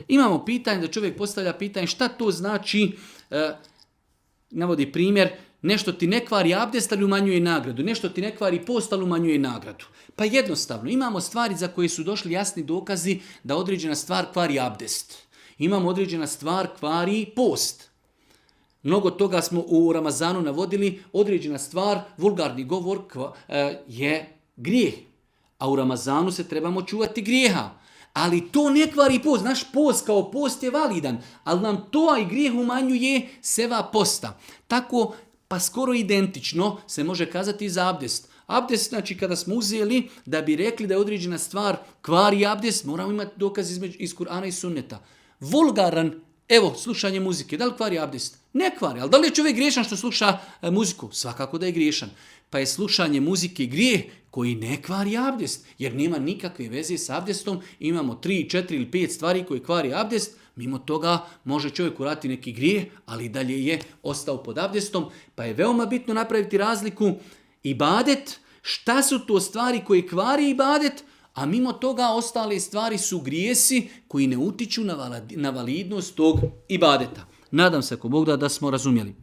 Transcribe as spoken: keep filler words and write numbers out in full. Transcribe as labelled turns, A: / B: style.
A: Imamo pitanje da čovjek postavlja pitanje šta to znači, e, navodi primjer, nešto ti ne kvari abdest, ali umanjuje nagradu. Nešto ti ne kvari post, ali umanjuje nagradu. Pa jednostavno, imamo stvari za koje su došli jasni dokazi da određena stvar kvari abdest. Imamo određena stvar kvari post. Mnogo toga smo u Ramazanu navodili, određena stvar, vulgarni govor je grijeh. A u Ramazanu se trebamo čuvati grijeha. Ali to ne kvari post. Naš post kao post je validan, ali nam to i grijeh umanjuje seva posta. Tako, pa skoro identično se može kazati i za abdest. Abdest, znači kada smo uzeli da bi rekli da je određena stvar kvari abdest, moramo imati dokaz iz, iz Kur'ana i Sunneta. Vulgaran, evo, slušanje muzike, da li kvari abdest? Ne kvari, ali da li je čovjek griješan što sluša e, muziku? Svakako da je griješan. Pa je slušanje muzike grijeh koji ne kvari abdest, jer nema nikakve veze s abdestom. Imamo tri, četiri ili pet stvari koje kvari abdest, mimo toga može čovjek uraditi neki grijeh, ali dalje je ostao pod abdestom. Pa je veoma bitno napraviti razliku ibadet, šta su to stvari koje kvari ibadet, a mimo toga ostale stvari su grijesi koji ne utiču na validnost tog ibadeta. Nadam se, ako Bog da, da smo razumjeli.